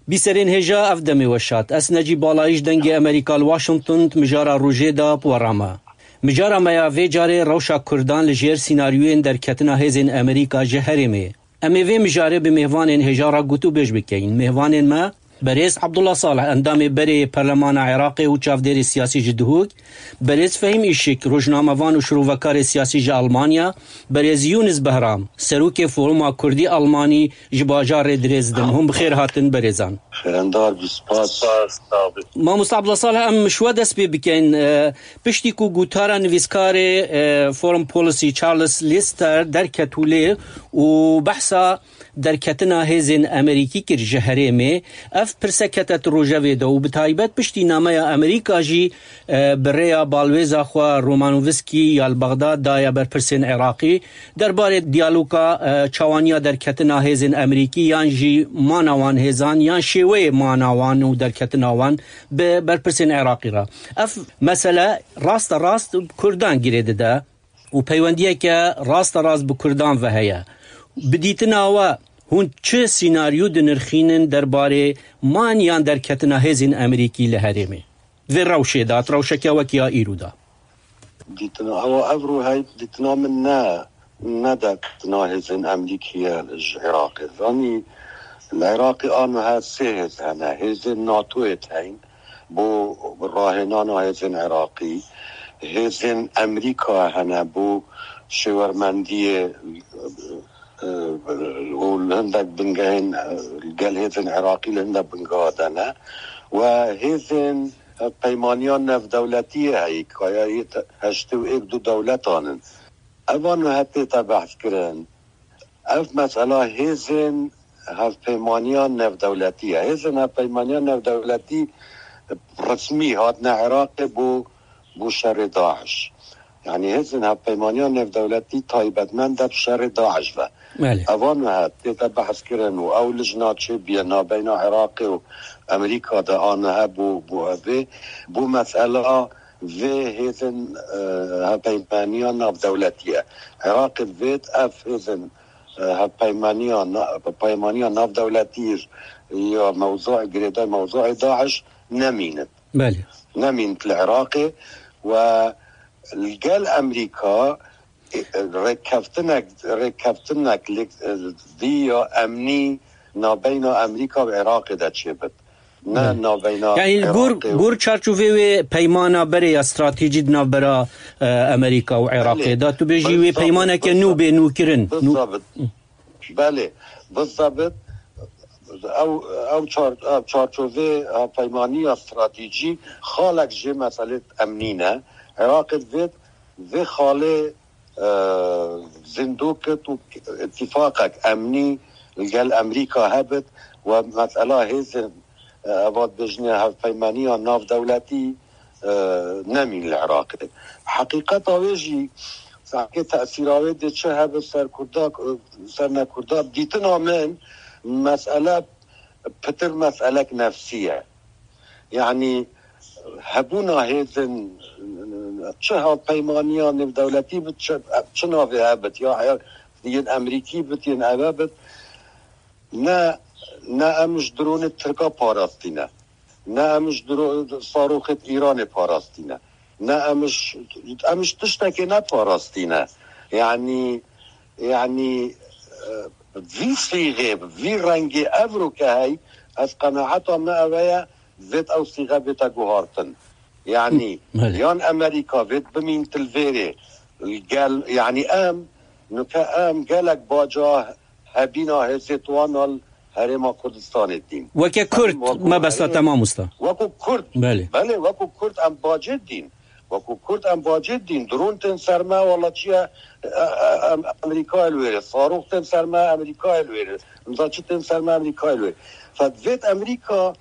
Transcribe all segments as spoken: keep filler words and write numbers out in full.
Bîserên hêja, ev demê we şad. Ez Necîb Balayî ji Dengê Amerîka li Washington di mijara rojê de bi we re me. Mijara me ya vê carê rewşa Kurdan li jêr sînaryoyên derketina hêzên Amerîka ji herêmê. Em ê vê mijarê bi mêvanên hêja re gotûbêj bikeyin. Mêvanên me, berêz Abdullah Salih, endamê berê yê Perlemana Iraqê û çavdêrê siyasî ji Duhok, berêz Fehîm Îşik, rojnamevan û şirovekarê siyasî ji Almanya, berêz Yûnis Behram, serokê Foruma Kurdî Almanî ji bajarê Dresden. Hûn bi xêr hatin berêzan. Xêrendar bî, spas. Spas, sağ ol. Mamoste Abdullah Salih, em ji we dest pê bikin. E, piştî ku gotara nivîskarê, e, Foreign Policy Charles Lyster derket holê û behsa derketina hêzên Amerîkî kir ji herêmê, ev pirse kete di rojevê de û bi taybet piştî nameya Amerîka jî, e, bi rêya balwêza xwe Romanovskî ya li Bexdad daye berpirsên Iraqî derbarê diyaloga, e, çawaniya derketina hêzên Amerîkî yan jî mana wan hêzan yan şêweyê mana wan û derketina wan bi berpirsên Iraqî re. Ev mesele raste rast Kurdan girê dide û peywendiyeke raste rast bi Kurdan ve heye. Bi dîtina we, hûn çi sînaryo dinirxînin derbarê man yan derketina hêzên Amerîkî li herêmê? Vê rewşê de, rewşeke wek ya îro de. Dîtina, ewa ev rû hey dîtina min ne, ne derketina hêzên Amerîkî ye ji Iraqê. Zanî, li Iraqê a niha sê hêz hene. Hêzên NATOyê heyîn bo rahênana hêzên Iraqî. Hêzên Amerîka hene bo şêwermendiyê, e, û li hindek bingehên, e, gel hêzên Iraqî li hindek bingeha de ne. We hêzên, e, peymaniya navdewletiyê heyî, kaya yê te-, heştê û êk du dewletan in. Evan niha tête behs kirin. Ev mesela hêzên hevpeymaniya navdewletî ye. Hêzên hevpeymaniya navdewletî resmî hatine Iraqê bo, bo şerê DAIŞ. Yanî hêzên hevpeymaniya navdewletî taybetmend e bi şerê DAIŞ ve. Belê. Evan niha tête behs kirin û ew lijna çêbûye nabeyna Iraqê û Amerîka de a niha bo, bo evê, bo mesela vê hêzên, e, hevpeymaniya navdewletî ye. Iraqê divêt ev hêzên, e, hevpeymaniya na-, peymaniya navdewletî ya mewzû, girêdayî mewzûê DAIŞ nemînin. Belê. Nemîn li Iraqê we li gel Amerîka, e, rêkeftinek, rêkeftinek li, e, vî ya emnî nabeyna Amerîka û Iraqê de çêbit. Ne Belê. nabeyna Yani gor, Iraqê û gor çarçovê wê peymana berê ya stratejî di navbera, e, Amerîka û Iraqê Belê. de. Tu bêjî wê Bizabit, peymaneke nû bizabit. bê nûkirin. Nû- Bizabit. Belê. Bizabit. Ew, ew çar-, ew çarçovê, e, peymaniya stratejî xalek jê meselê emnî ne. Iraqê divêt vê xalê, e, zindû kit û îtîfaqek emnî li gel Amerîka hebit we mesela hêzên, e, eva dibêjine hevpeymaniya navdewletî, e, nemîn li Iraqê. Heqîqeta wê jî, sanki tesîra wê dê çi hebit ser Kurda, ser ne Kurda, dîtina min mesele pitir meselek nefsî ye. Yanî hebûna hêzên çi hevpeymaniya nêvdewletî bit, çi, çi navê hebit, ya her yên Amerîkî bit, yên eve bit, ne, ne em ji dronê Tirka parastî ne, ne em ji dro-, sarûxê Îranê parastî ne, ne em ji, em ji tiştekê ne parastî ne. Yanî, yanî, e, vî sîxê, vî rengê evro ke hey, ez qenaeta me eve ye, vêt ew sîxe bête guhartin. Yanî, Belê. yan Amerîka vêt bimîn til vêrê. Gel, yanî em, nuke em gelek baca hebîna hêzê tuwana li Herêma Kurdistanê dîn. Weke Kurd, Em wekû mebesta herê-, te mamosta. Wekû Kurd. Belê. Belê, wekû Kurd em bacê dîn. Wekû Kurd em bacê dîn. Drûn tên ser me, wala çi ye, e, e, em, Amerîkayê li wêrê. Sarûx tên ser me, Amerîkayê li wêrê. Imza çi tên ser me, Amerîkayê li wêrê. Fed vêt Amerîka,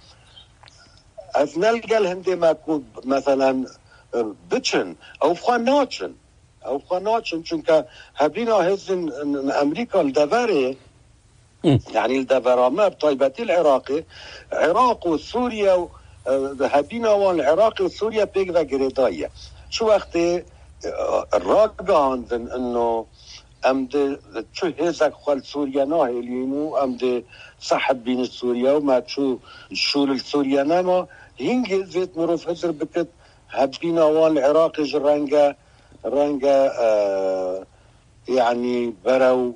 ez ne li gel hindê me ku, meselen, e, biçin. Ew xwe naçin. Ew xwe naçin, çunke hebîna hêzên Amerîka li deverê, Hı. yanî li devera me, bi taybetî li Iraqê, Iraq û Sûriye û, e, hebîna wan li Iraqê û Sûriye pêk ve girêdayî ye. Çi wextê, e, ragihandin ino Em di çi hêzek xwe li Sûriye nahêlîn û em di sehib bîn Sûriye û me çû şûl li Sûriye nema. Hingê zêt mirov hizir bikit, hebîna wan li Iraqê ji renge, renge, e, yanî berew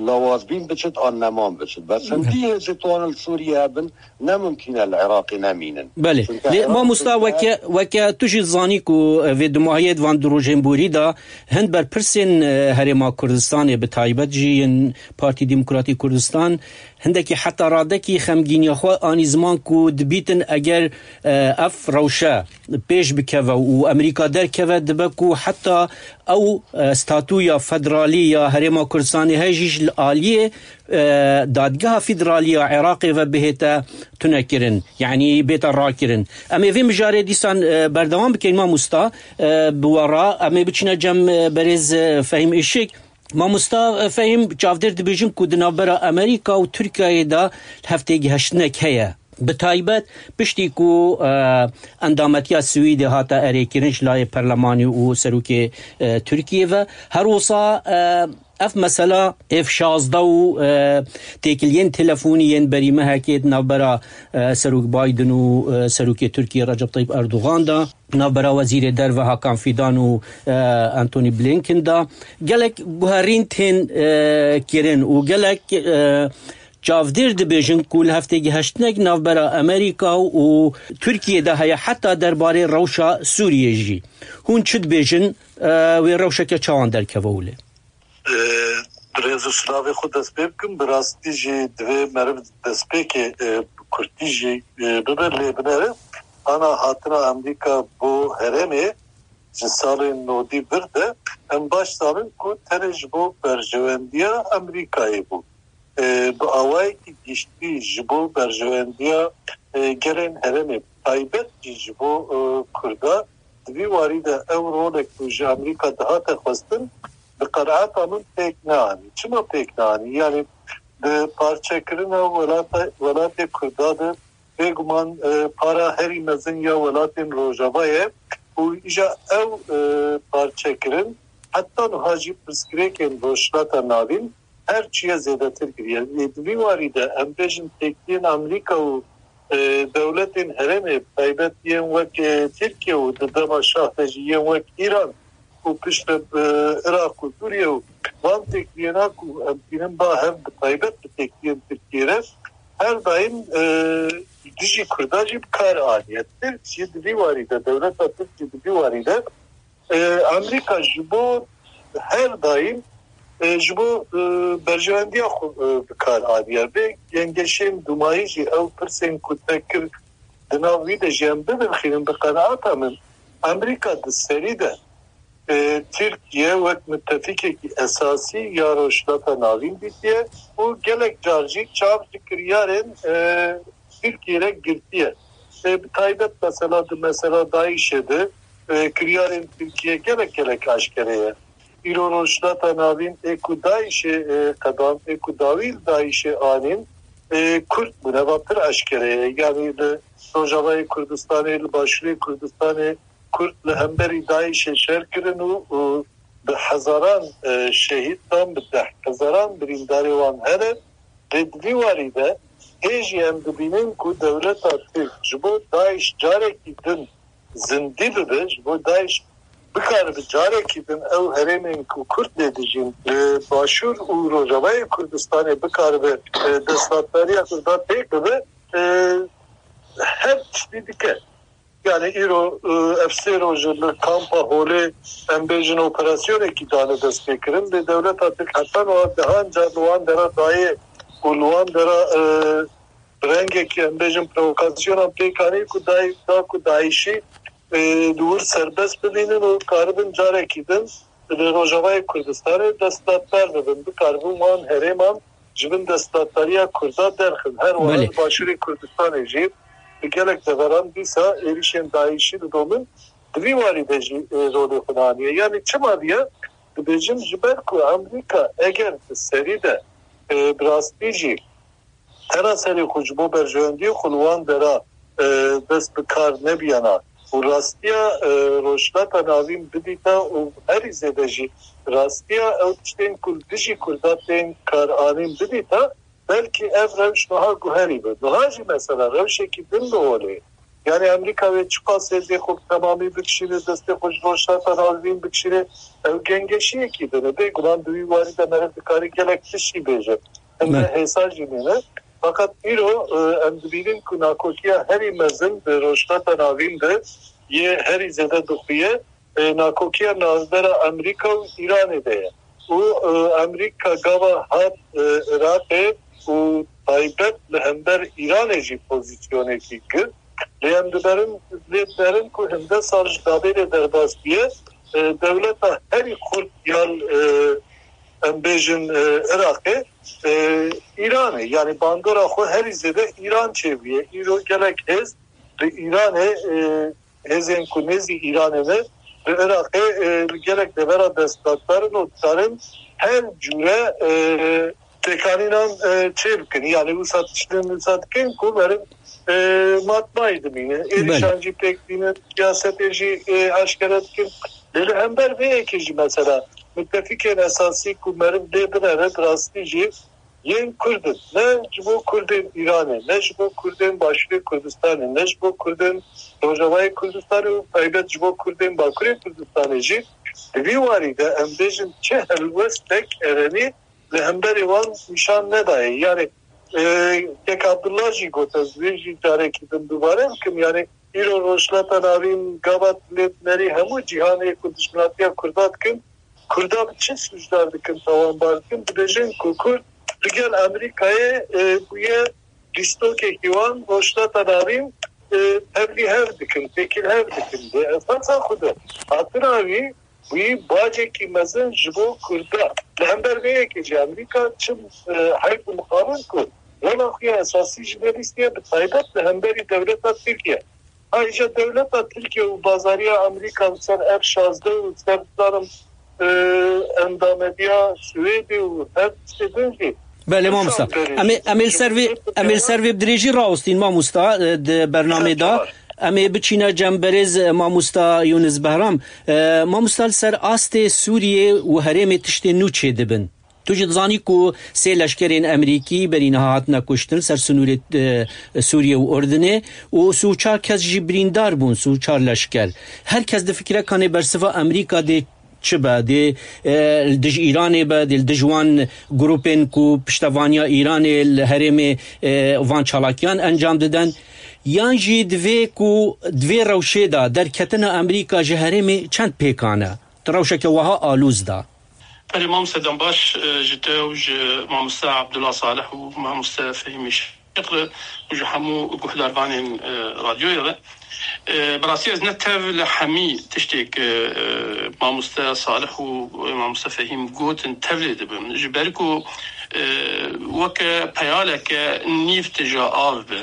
lawazbîn biçit an neman biçit. Bes hindî hêzê tuwanin li Sûriye hebin, ne mimkîn e li Iraqê nemînin. Belê. Lê mamosta, weke, weke tu jî zanî ku, e, vê dumahiyê di van du rojên borî de hin berpirsên, e, Herêma Kurdistanê, bi taybet jî yên Partî Demokratîk Kurdistan, hindekî heta radekî xemgîniya xwe anî ziman ku dibîtin eger, e, ev rewşe pêş bikeve û Amerîka derkeve, dibe ku heta ew, e, statûya federalî ya Herêma Kurdistanê heye jî ji aliyê, e, Dadgeha Federalî ya Iraqê ve bihête tunekirin, yanî bête rakirin. Em ê vê mijarê dîsan, e, berdewam bikin, mamosta, e, bi we re. Em ê biçine cem, e, berêz, e, Fehîm Işik. Mamosta, e, Fehîm, çavdêr dibêjin ku di navbera Amerîka û Tirkiyeyê de heftêgiheştinek heye. Bi taybet piştî ku, e, endametiya Swîdê hate erêkirin ji layê perlemanî û serokê, e, Tirkiyê ve. Her wisa, e, ev mesela F şazdeh û, e, têkiliyên telefonî yên berî mehekê di navbera, e, Serok Biden û, e, Serokê Tirkiyê Recep Tayyip Erdogan de, navbera Wezîrê Derve Hakan Fidan û, e, Antony Blinken de gelek guherîn tên, e, kirin û gelek, e, çavdêr dibêjin ku li heftêgiheştinek navbera Amerîka û Tirkiyê de heye heta derbarê rewşa Sûriyê jî. Hûn çi dibêjin, e, wê rewşeke çawan derkeve holê? E, bi rêz û silavê xwe dest pê bikim. Bi rastî jî divê meriv destpêkê, e, bi kurtî jî, e, bibe, lê binere ana hatina Amerîka bo herêmê ji salên nodî vir de em baş zanin ku tenê ji bo berjewendiya Amerîkayê bû. E, bi awayekî giştî ji bo berjewendiya, e, gelên herêmê, taybet jî ji bo, e, Kurda, di vî warî de ew rolek ku ji Amerîka dihate xwestin, bi qenaeta min pêk neanî. Çima pêk neanî? Yanî bi parçekirina welata, welatê Kurda de bêguman, e, para herî mezin ya welatên Rojava ye û îja ew, e, parçekirin heta niha jî pirsgirêkên Rojhilata Navîn her çiye zêdetir kiriye. Lê di vî warî de em bêjin têkiliyên Amerîka û, e, dewletên herêmê, bi taybet yên wek, e, Tirkiye û di dema şah de jî yên wek Îran û piştre, e, Iraq û Sûriye û van têkiliyêna ku em tînin ba hev bi taybet bi têkiliyên Tirkiyê re her daîm, e, dijî Kurda jî bi kar aniye. Tirk jî di vî warî de, dewleta Tirk jî di vî warî de, e, Amerîka ji bo her daîm, e, ji bo, e, berjewendiya xwe, e, bi kar aniye. Vê gengeşên dumayî jî ew pirsên ku te kir di nav wî de jî em bidirxînin, bi qenaeta min Amerîka di serî de, e, Tirkiye wek mitefîkekî esasî ya Rojhilata Navîn dîtiye û gelek car jî çav ji kiryarên, e, Tirkiyê re girtiye. E, bi taybet mesela di mesela DAIŞê de, e, kiryarên Tirkiye gelek gelek aşkere ye. Îro Rojhilata Navîn ê ku DAIŞê, e, qedand, ê ku dawî li DAIŞê anîn, e, Kurd bûne, va pir eşkere ye. Yanî li Rojavayê Kurdistanê, li Başûrê Kurdistanê Kurd li hemberî DAIŞê şer kirin û, û bi hezaran, e, şehîd dan, bi deh hezaran birîndarê wan hene. Lê di vî warî de hê jî em dibînin ku dewleta Tirk ji bo DAIŞ carekî din zindî bibe, ji bo DAIŞ bikaribe carekî din ew herêmên ku Kurd lê dijîn, li Başûr û Rojavayê Kurdistanê bikaribe, e, desthilatdariya Kurda pêk bibe, e, her tiştî dike. Yani îro, e, ev sê roj li kampa Holê em bêjin operasyonekî dane destpêkirin. Lê dewleta Tirk heta niha dehan car li wan dera dayê û li wan dera, e, bi rengekî em bêjin provokasyonan pêk anî ku dayî, da ku DAIŞî, e, li wir serbest bibînin û karibin carekî din li Rojavayê Kurdistanê desthilatdar bibin, bikaribin wan herêman ji bin desthilatdariya Kurda derxin. Her wiha Belê. Li Başûrê Kurdistanê jî bi gelek deveran dîsa êrişên DAIŞî didomin. Di vî warî de jî, e, rolê xwe daniye. Yanî çima diye? Dibêjim ji ber ku Amerîka eger di serî de, e, bi rastî jî tena serê xwe ji bo berjewendiyê xwe li wan dera, e, dest bi kar nebiyana, û rastiya, e, Rojhilata Navîn bidîta û herî zêde jî rastiya ew tiştên ku li dijî Kurda tên karanîn bidîta, belkî ev rewş niha guherî be. Niha jî mesela rewşekî din li holê. Yani Amerîka wê çiqas hêzê xwe bi temamî bikişîne, destê xwe ji Rojhilata Navîn bikişîne, ew gengeşiyekî din e. Bêguman di wî warî de meriv dikare gelek tişt jî bêje. Hinde hêsa jî nîne. Fakat îro, e, em dibînin ku nakokiya herî mezin di Rojhilata Navîn de yê herî zêde dixuye, e, nakokiya navbera Amerîka û Îranê de ye. Û, e, Amerîka gava hat, e, Iraqê û taybet li hember Îranê jî pozîsyonekî girt. Lê em diberin, lê diberin ku hinde sal ji dabê de derbas bûye, e, dewleta herî xurt ya, e, em bêjin, e, Iraqê, e, Îranê. Yani bandora xwe herî zêde Îran çêbûye. Îro gelek hêz li Îranê, e, hêzên ku nêzî Îranê ne, li Iraqê, e, li gelek devera desthilatdar in û dikarin her cûre, e, pêkanînan, e, çêbikin. Yani wisa tiştin wisa dikin ku meriv, e, matmayî dimîne. Êrîşan jî pêk dînin, siyasetê jî, e, eşkere dikin. Lê li hember vê yekê jî mesela mutefîkên esasî ku meriv lê binere bi rastî jî yên Kurd in. Ne ji bo Kurdên Îranê, ne ji bo Kurdên Başûrê Kurdistanê, ne ji bo Kurdên Rojavayê Kurdistanê û taybet ji bo Kurdên Bakurê Kurdistanê jî di vî warî de em bêjin çi helwestek erenî li hemberî wan nîşan nedaye. Yani, e, kek Abdullah jî got, ez wê jî carekî din dubare bikim. Yani îro Rojhilata Navîn gava lê dinerî hemû cîhanê ku dijminatiya Kurda dikin, Kurda bi çi sûcdar dikin, tawanbar dikin? Dibêjin ku Kurd li gel Amerîkayê, e, bûye lîstokekî wan, Rojhilata Navîn, e, tevlî hev dikin, têkil hev dikin. Lê esasa xwe de hatina wî, wî bacekî mezin ji bo Kurda. Li hember vê yekê jî Amerîka çi, e, heyf û mixabin ku rola xwe ya esasî jî nelîstiye, bi taybet li hemberî dewleta Tirkiye. Ayrıca dewleta Tirkiye û bazariya Amerîka li ser F şazdeh û ser, dizanim, e, endamediya Swêdê û her tiştê din jî Belê mamosta. Em ê, em ê li ser vê, em ê li ser vê bi dirêjî rawestîn mamosta, e, di bernamê de. Em ê biçîne cem berêz, e, mamosta Yûnis Behram. E, mamosta, li ser astê Sûriyê û herêmê tiştên nû çêdibin. Tu jî dizanî ku sê leşkerên Amerîkî berî niha hatine kuştin ser sinûrê, e, Sûriye û Urdinê û sî û çar kes jî birîndar bûn, sî û çar leşker. Her kes difikire kanê bersiva Amerîka dê çi be? Dê, e, li dij Îranê be, dê li dij wan grûpên ku piştevaniya Îranê li herêmê, e, van çalakiyan encam didin? Yan jî divê ku di vê rewşê de derketina Amerîka ji herêmê çend pêkan e? Di rewşeke wiha alûz de. Belê, mamoste Dembaş, e, ji te û ji mamoste Abdullah Salih û mamoste Fehîm Îşiq re û ji hemû guhdarvanên, e, radyoyê re. E, bi rastî ez ne tev li hemî tiştê ku, e, mamoste Salih û, e, mamoste Fehîm gotin tev lê dibim. Ji ber ku, e, weke peyaleke nîv tije av be.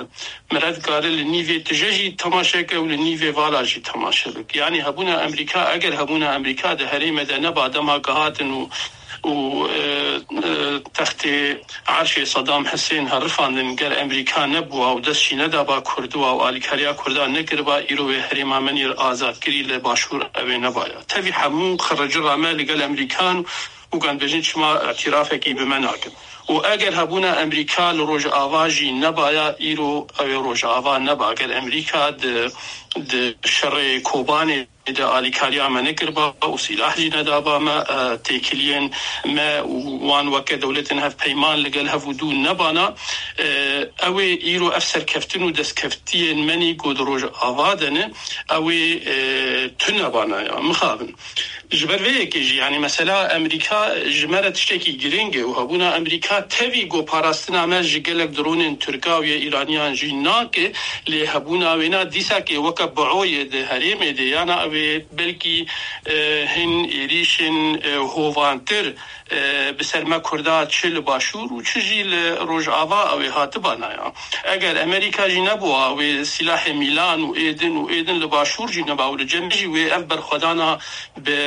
Mire dikare li nîvê tije jî temaşe ke û li nîvê vala jî temaşe bike. Yanî hebûna Amerîka, eger hebûna Amerîka di herêmê de neba dema ku hatin û, û, e, e, textê erşê Sedam Hisên herifandin, ger Amerîka nebûa û dest jî nedaba Kurda û alîkariya Kurda nekiriba, îro wê herêma me nîr azadkirî li Başûr ew ê nebaya. Tevî hemû xiricira me li gel Amerîkan û kan bêjin çima îtirafekî bi me nakin. Û eger hebûna Amerîka li Rojava jî nebaya, îro ew ê Rojava neba. Eger Amerîka di, di şerê Kobanê de alîkariya me nekiriba û sîlah jî nedaba me, e, têkiliyên me û wan weke dewletên hevpeyman li gel hev û dû nebana, e, ew ê îro ev serkeftin û destkeftiyên me nî ku di Rojava de ne, ew ê, e, tune bana ya. Mixabin. Ji ber vê yekê jî, yanî mesela Amerîka ji me re tiştekî girîng e û hebûna Amerîka tevî ku parastina me ji gelek dronên Tirka û yê Îraniyan jî nake, lê hebûna wêna dîsa ke weke bioyê di herêmê de yana ew ê belkî, e, hin êrîşên, e, hovantir e, bi ser me Kurda çi li Başûr û çi jî li Rojava ew ê hatibana ya. Eger Amerîka jî nebûa, wê sîlahê mîlan û êdin û êdin li Başûr jî neba û li cem jî wê ev berxwedana bi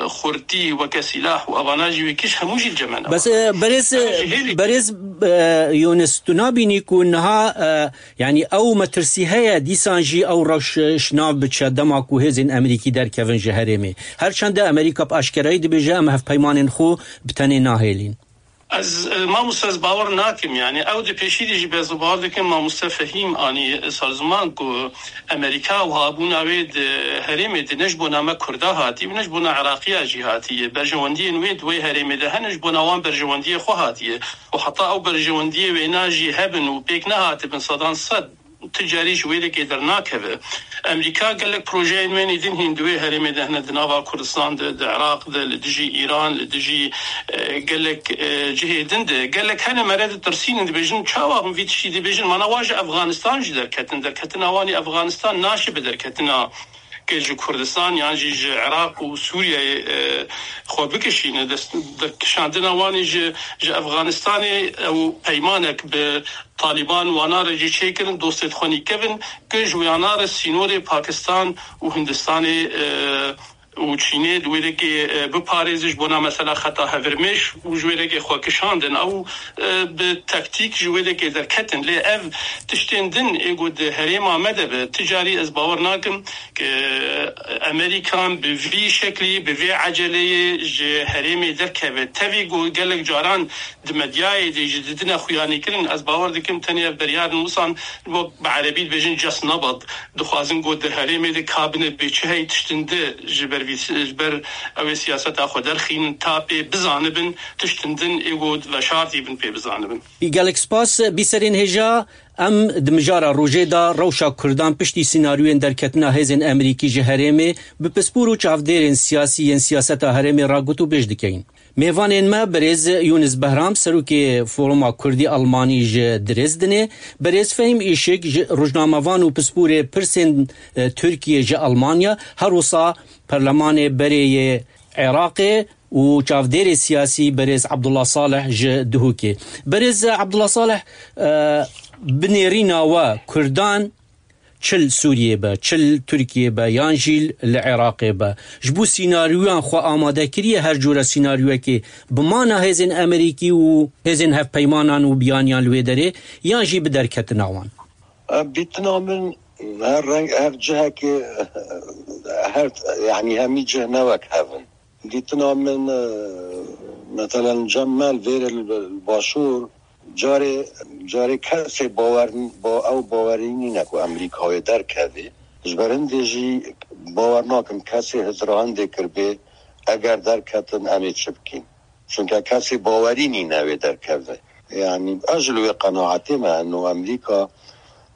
xurtî weke sîlah û evana jî wê kişt hemû jî li cem me neba. Bes, e, berêz, Ev jî hêlî berêz, e, Yûnis, tu nabînî ku niha, e, yanî ew metirsî heye, dîsan jî ew rewş, e, şinav biçe dema ku hêzên Amerîkî derkevin ji herêmê. Her çende Amerîka bi aşkerayî dibêje, em hevpeymanên xwe bi tenê nahêlîn. Ez, e, mamoste, ez bawer nakim, yani ew di pêşî de jî ez bawer dikim, mamoste Fehîm anî ser ziman ku Amerîka û habûna wê di herêmê de ne ji bona me Kurda hatî û ne ji bona Iraqiya jî hatiye. Berjewendiyên wê di wê herêmê de hene, ji bona wan berjewendiyê xwe hatiye. Û heta ew berjewendiyê wêna jî hebin û pêk nehatibin sedan sed, ti carî ji wê dekê dernakeve. Amerîka gelek projeyên wê êdî hîn di wê herêmê de hene, di nava Kurdistan de, di Iraq de, li dijî Îran, li dijî, e, gelek, e, cihê din de. Gelek hene mere ditirsînin, dibêjin, çawa hûn vî tiştî dibêjin? Mana wan ji Efxanistan jî derketin. Derketina wan ê Efxanistan naşibe derketina ke ji Kurdistan yan jî ji Iraq û Sûriyeyê, e, xwe bikişîne. Dest, derkişandina wan ê ji, ji Efxanistanê ew peymanek bi Talîban wana re jî çêkirin, dostê xwe nîkevin, ke ji wana re sînorê Pakistan û Hindistanê, e, û Çînê di wê dekê, e, biparêze, ji bona mesela xeta hevirmêş û ji wê dekê xwe kişandin. Ew, e, bi taktîk ji wê dekê derketin. Lê ev tiştên din ê ku di herêma me de be, ti carî ez bawer nakim ke Amerîkan bi vî şeklî, bi vê eceleyê ji herêmê derkeve. Tevî ku gelek caran di medyayê de jî didine xuyanîkirin, ez bawer dikim tenê ev beryarin wisan, wek bi erebî dibêjin just nabad, dixwazin ku di herêmê de kabine bê çi hey tiştin di ji ber vî, ji ber ew ê siyaseta xwe derxînin, ta pê bizanibin, tiştin din ê ku veşartî bin pê bizanibin. Gelek spas, bîserên hêja, em di mijara rojê de rewşa Kurdan piştî sînaryoyên derketina hêzên Amerîkî ji herêmê bi pispor û çavdêrên siyasî yên siyaseta herêmê ragot û bêj dikeyin. Mêvanên me birêz Yûnis Behram, serokê Foruma Kurdî Almanî ji Dresdenê, birêz Fehîm Îşik, ji rojnamevan û pisporê pirsên, e, Tirkiyê ji Almanya, her wisa Perlemanê berê yê Iraqê û çavdêrê siyasî birêz Abdullah Salih ji Duhokê. Birêz Abdullah Salih, e, bi nêrîna we Kurdan çi li Sûriyê be, çi li Tirkiyê be, yan jî li Iraqê be, ji bo sînaryoyan xwe amade kiriye, her cûre sînaryoyekê bi mana hêzên Amerîkî û hêzên hevpeymanan û biyaniyan li wê derê, yan jî bi derketina wan? Ev dîtina min her reng, her cihekê, her, yanî hemî cih ne wek hev in. Dîtina min, e, meselen cem me li vêrê li Başûr, carê, carê kesê bawer, ba-, ew bawerî nîne ku Amerîka wê derkevê. Ji ber hindê jî bawer nakim kesê hizra hindê kiribê, eger derketin em ê çi bikîn? Çunke kesê bawerî nîne wê derkeve. Yanî ez ji li wê qenaetê me, eno Amerîka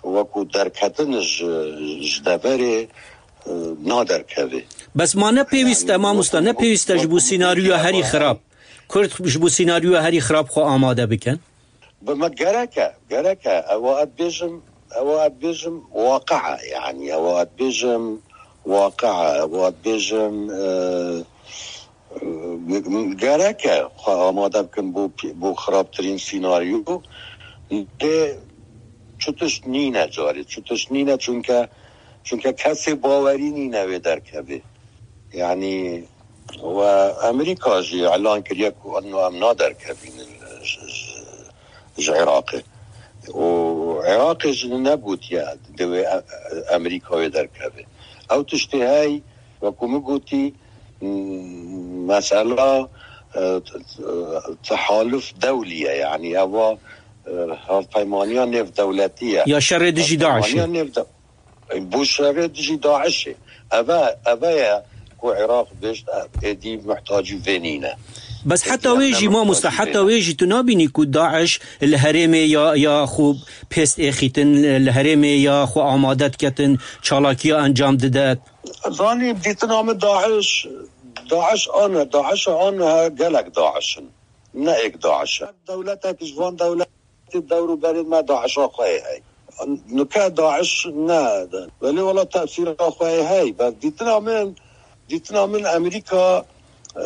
wekû derketin ji, ji deverê, e, naderkeve. Bes ma ne pêwîst e, Yanî mamosta, ne wekû, pêwîst e ji bo wekû sînaryoya herî xirab. Kurd ji bo sînaryoya herî xirab xwe amade bikin? Bi me gerek e, gerek e. Ewa ez bêjim, ewa ez bêjim waqe e. Yanî ewa ez bêjim waqe e. Ewa ez bêjim, e, e, gerek e xwe amade bikin bo, bo xirabtirîn sînaryo. Lê çi tişt nîne carê, çi tişt nîne, çunke, çunke kesê bawerî nîne wê derkevê. Yanî, we Amerîka jî elan kiriye ku eno em naderkevînin ji, ji, ji Iraqê. Û Iraqê jî negotiye divê e-, e-, Amerîka wê derkeve. Ew tiştê hey, wekû min gotî, m-, mesela, e, t-, t-, tehaluf dewlî ye, yanî eva, e, hevpeymaniya nêvdewletî ye. Ya şerê dijî DAIŞê. Hevpeymaniya nêvde-, Bo şerê dijî DAIŞê. Eve, eve ye ku Iraq bêjt, êdî muhtacî vê nîne. Bes heta wê jî, mamoste, heta wê jî tu nabînî ku DAIŞ li herêmê ya, ya xwe pêst êxîtin, li herêmê ya xwe amade diketin, çalakiya encam dide? Zanî, dîtina min DAIŞ, DAIŞ an e, DAIŞ an e, gelek DAIŞ in. Ne êk DAIŞ e. Dewletek ji van dewletê dewr û berê me DAIŞa xwe yê hey. Nuke DAIŞ ne. Belê wela tesîra xwe yê hey. Bes dîtina min, dîtina min Amerîka e,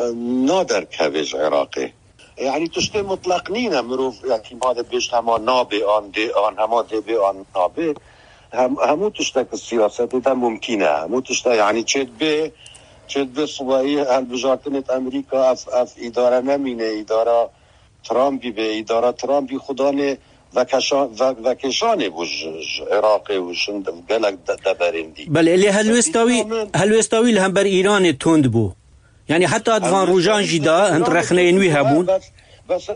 naderkeve ji Iraqê. Yani tiştê mutlaq nîne, mirov yani madê bêjt hema nabê an dê an, hema dê bê an nabê. Hem, hemû tiştek siyasetê de mumkîn e. Hemû tişte yani çêdibê, çêdibê subahî hilbijartinê di Amerîka ev, ev îdare nemîne, îdara Trumpî bê, îdara Trumpî xudanê vekeşa-, ve-, vekêşanê bû ji, ji Iraqê û ji gelek de-, deverên dî. Belê, lê helwêsta wî, Dîtina min helwêsta wî li hember Îranê tund bû. Yani heta di van rojan jî de hind rexneyên wî hebûn. Bes, bes,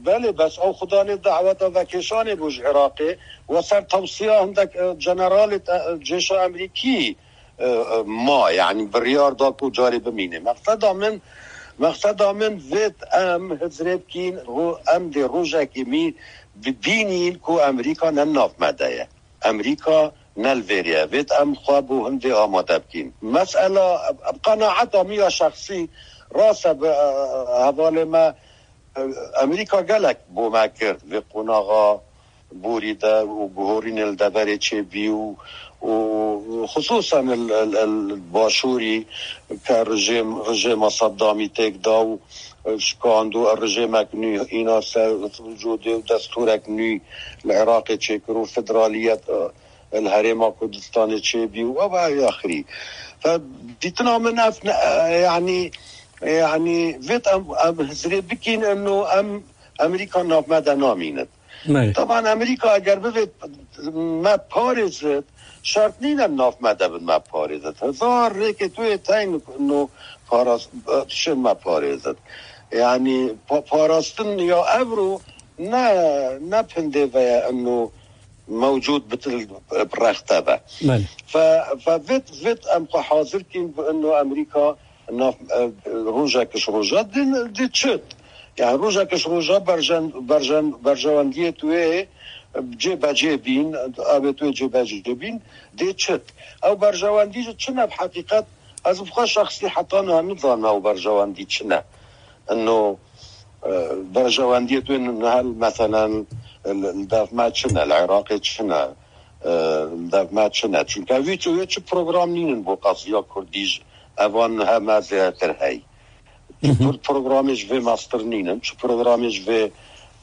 belê, bes ew xudanê daweta vekêşanê bû ji Iraqê. We ser tewsiya hindek, e, generalê, e, cêşa Amerîkî, e, e, ma, yani biryar da ku carê bimîne. Mexseda min, mexseda min vêt em hizrê bikîn, ro-, em dê rojekê mî bibînîn ku Amerîka ne nav me de ye. Amerîka ne li vêrê ye. Vêt em xwe bo hindê amade bikîn. Mesela, bi qenaeta min ya şexsî, rast e, bi, e, hevalê me, e, Amerîka gelek bo me kir vê qonaxa borî de û guhorînê li deverê çêbî û, û xisûsen li, li, li başûrî ke rejêm, rejêma Seddamî têk da û şikand û rejêmek nû îna ser wicûdê û destûrek nû li Iraqê çêkir û federaliyet, e, li Herêma Kurdistanê çêbî û ev, ev axirî. Fe dîtina min ev ne, e, yanî, yanî vêt em, em hizrê bikîn eno em Amerîka nav me de namînin. Belê. Taban Amerîka eger bivêt me parêzit, şert nîne nav me de bin me parêzit. Hezar rêkê tu yê teyn no paras-, tişên me parêzit. Yani pa-, parastin ya evro ne, ne pindê ve ye eno mewcûd bitil rexte be. Belê. Fe, fe vit, vit em xwe hazir kîn bi eno Amerîka nav, e, rojek ji roja din, di çit. Yani rojek ji roja berjen, berjen, berjewendiyê tu yê cêbecê bîn, abê tu yê cêbecê bîn, dê çit. Ew berjewendî ji çi ne bi heqîqet, ez bi xwe şexsî heta niha nizanim ew berjewendî çi ne. Eno, e, berjewendiyê tu yê niha meselen li, li dev me çi ne, li Iraqê çi ne, e, li dev me çi ne. Çunke wî tu yê çi program nînin bo qeziya Kurdî ji evan heme zêdetir hey. Çi pro-, programê ji vê mestir nînin, çi programê ji vê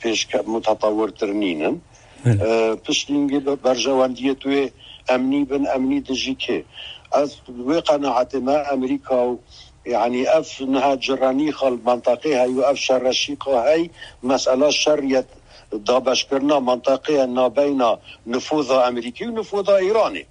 pêşke-, mutetewirtir nînin. Belê. E, piştî hingê be-, berjewendiyê tu yê emnî bin, emnî dijî kê? Ez wê qenaetê me Amerîka û, yani ev niha cirenîxa li mintaqê hey û ev şerreşîqa hey, mesela şerriyet dabeşkirina mintaqê ye nabeyna nifoza Amerîkî û nifoza Îranê.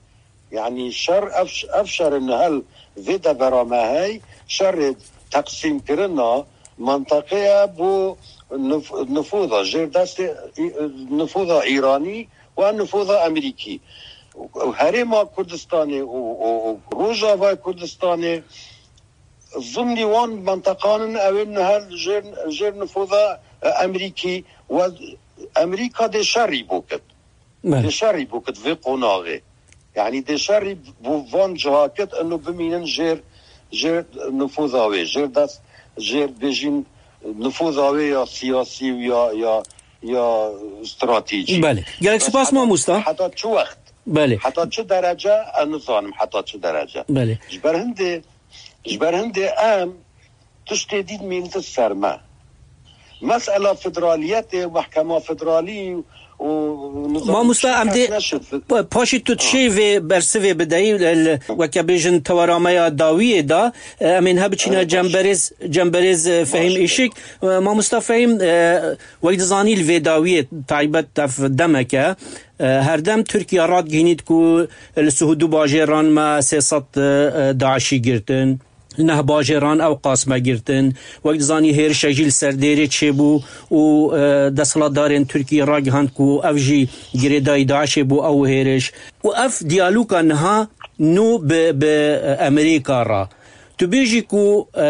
Yani şer, ev, ev şerê niha li vê devera me hey, şerê teqsîmkirina mintaqê ye bo nif-, nifoza jêr destê î-, nifoza Îranî û nifoza Amerîkî. Û Herêma Kurdistanê û, û, û Rojavayê Kurdistanê zimnî wan menteqan in, ew ê niha jêr, jêr nifoza, e, Amerîkî û Amerîka dê şerî bo kit. Belê. Dê şerî bo kit vê qonaxê. Yani dê şerî bo van ciha kit, ino bimînin jêr, jêr nifoza wê, jêr dest, jêr bêjin nifoza wê ya siyasî û ya, ya, ya stratejî. Belê. Gelek spas mamosta. Heta çi wext? Belê. Heta çi derece? Ez nizanim heta çi derece. Belê. Ji ber hindê, ji ber hindê em tiştê dît mîntin ser me. Mesela federaliyetê, mehkema federalî û nizam Mamosta, em dê neşit. Pa-, paşê tu tişê vê bersivê bideyî, li, li, weke bêjin tewera me ya dawiyê de, e, em ên he biçîne Evet, baş. Cemberêz, Cemberêz, e, Fehîm Baş. Îşik. E, Mamosta Fehîm, e, wek dizanî li vê dawiyê taybet ev demek e. E, herdem Tirkiye radgihînît ku li sih û du bajêran me sê sed, e, DAIŞî girtin. Neh bajêran ew qas me girtin. Wek dizanî hêrişek jî li ser Dêrê çêbû û, e, desthilatdarên Tirkiyê ragihand ku ev jî girêdayî DAIŞê bû ew hêriş. Û ev diyaloga niha nû bi, bi Amerîka re. Tu bêjî ku, e,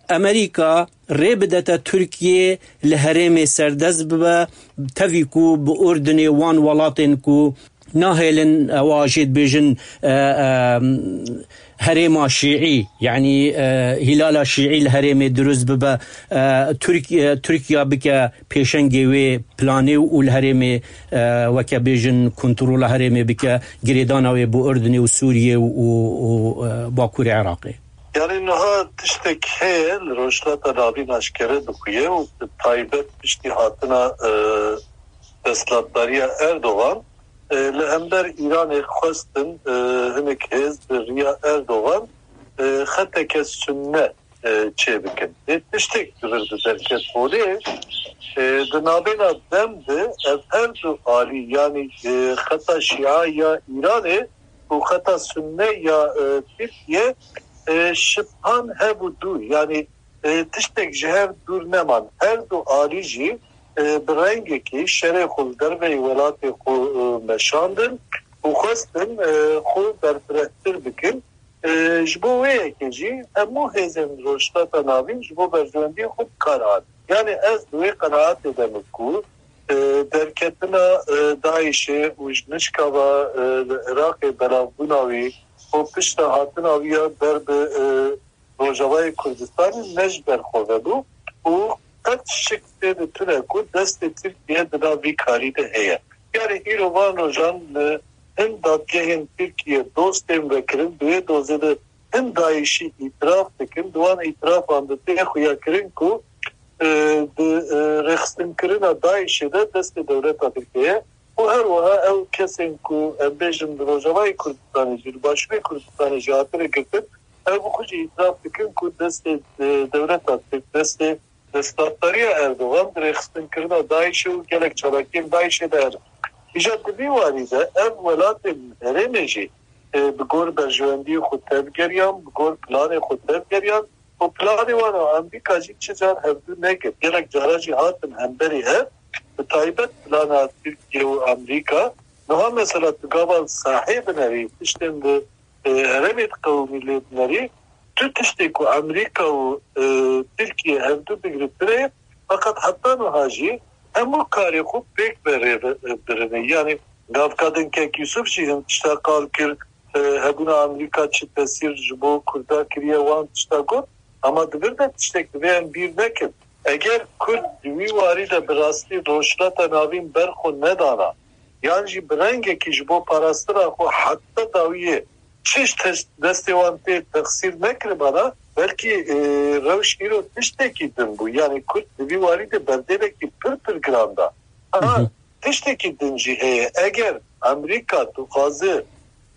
Amerîka rê bidete Tirkiyê li herêmê serdest bibe, tevî ku bi Urdinê wan welatên ku nahêlin ewa jê dibêjin, e, e, herêma şîî, yanî, e, hîlala şîî li herêmê dirust bibe, e, Tirk-, e, Tirkiya bike pêşengê wê planê û li herêmê, e, weke bêjin kontrola herêmê bike, girêdana wê bo Urdinê û Sûriyê û, û, û, e, Bakurê Iraqê. Yani niha tiştek heye li Rojhilata Navîn aşkere dixuye û bi taybet piştî hatina e, desthilatdariya Erdogan e, li hember Îranê xwestin e, hinek hêz bi riya Erdogan e, xeteke sunne e, çêbikin. Lê tiştek di vir de derket holê e, di navbêna dem de ev her du alî, yanî e, xeta Şia ya Îranê û xeta Sunne ya e, Tirkiye e, şibhan hebû dûr. Yanî e, tiştek ji hev dûr neman. Her du alî jî e, bi rengekî şerê xwe li derveyî welatê xwe e, meşandin û xwestin e, xwe berfirehtir bikin. E, ji bo wê yekê jî hemû hêzên Rojhilata Navîn ji bo berjewendiyê xwe bi kar hatin. Yani ez di wê qenaetê de me ku e, derketina e, DAIŞê û ji nişka ve e, li Iraqê belavbûna wî û pişta hatina wî ya ber bi e, Rojavayê Kurdistanê ne ji ber xwe vebû û qet şik tê de tune ku destê Tirkiye di nav vî karî de heye. Yani îro van rojan li hin dadgehên Tirkiye doz tên vekirin, di wê dozê de hin DAIŞî îtiraf dikin, di wan îtirafan de tê xuyakirin ku e, di e, rêxistinkirina DAIŞê de destê dewleta Tirkiye ye û her wiha ew kesên ku em bêjin di Rojavayê Kurdistanê jî, li Başûrê Kurdistanê jî hatine girtin, ew bi xwe jî îtiraf dikin ku destê e, dewleta Tirk, destê desthilatdariya Erdogan di rêxistinkirina DAIŞê û gelek çalakiyên DAIŞê de hene. Îja di vî warî de ev welatên herêmê jî e, bi gor berjewendiyê xwe tevgeriyan, bi gor planê xwe tevgeriyan û planê wan û Amerîka jî çi car hevdû nekir. Gelek cara jî hatin hemberî hev, bi taybet plana Tirkiye û Amerîka. Niha mesela tu gava sahê binerî, tiştên di e, herêmê diqewimî lê binerî, tu tiştê ku Amerîka û e, Tirkiye hevdû digire tune ye, feqet heta niha jî hemû karê xwe pêk ve rê ve- e, birine. Yani gavka din Kek Yusuf jî hin tişta qal kir, e, hebûna Amerîka çi tesîr ji bo Kurda kiriye, wan tişta got. Ama di vir de tiştek divê em bîr nekin. Eger Kurd di wî warî de bi rastî Rojhilata Navîn ber xwe nedana, yan jî bi rengekî ji bo parastina xwe heta dawiyê çi ji tes- destê wan tê texsîr nekiribana, belkî e, rewş îro tiştekî din bû. Yani Kurd di vî warî de berdêlekî pir pir giran da. Aha, tiştekî din jî heye. Eger Amerîka dixwaze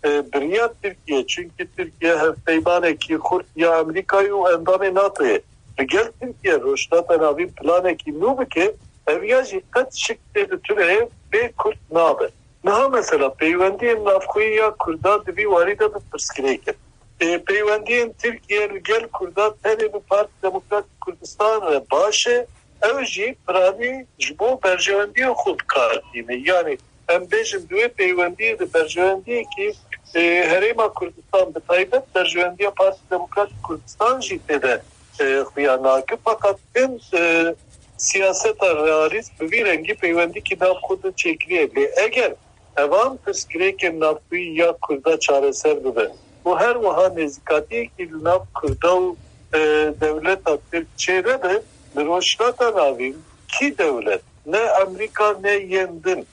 e, bi riya Tirkiye, çunkî Tirkiye hevpeymanekî xurt ya Amerîkayê û endamê NATOyê, li gel Tirkiye Rojhilata Navîn planekî nû bike, ev ya jî qet şik tê di tuneyê bê Kurd nabe. Niha mesela peywendiyên navxweyî ya Kurda di vî warî de bi pirsgirêk in. Ê, peywendiyên Tirkiye li gel Kurda tenê bi Partî Demokratîk Kurdistan re baş e. Ew jî piranî ji bo berjewendiyên xwe bi kar tîne. Yanî em bêjin di wê peywendiyê de berjewendiyekî e, Herêma Kurdistan bi taybet berjewendiya Partî Demokratîk Kurdistan jî tê de e, xuya nake. Feqet hin e, siyaseta realîst bi vî rengî peywendîkî nav xwe de çêkiriye. Lê eger evan pirsgirêkên navxweyî ya Kurda çareser bibe û her wiha nêzîkatiyekî li nav Kurda û e, dewleta Tirk çênebe, li Rojhilata Navîn kî dewlet, ne Amerîka ne yên din,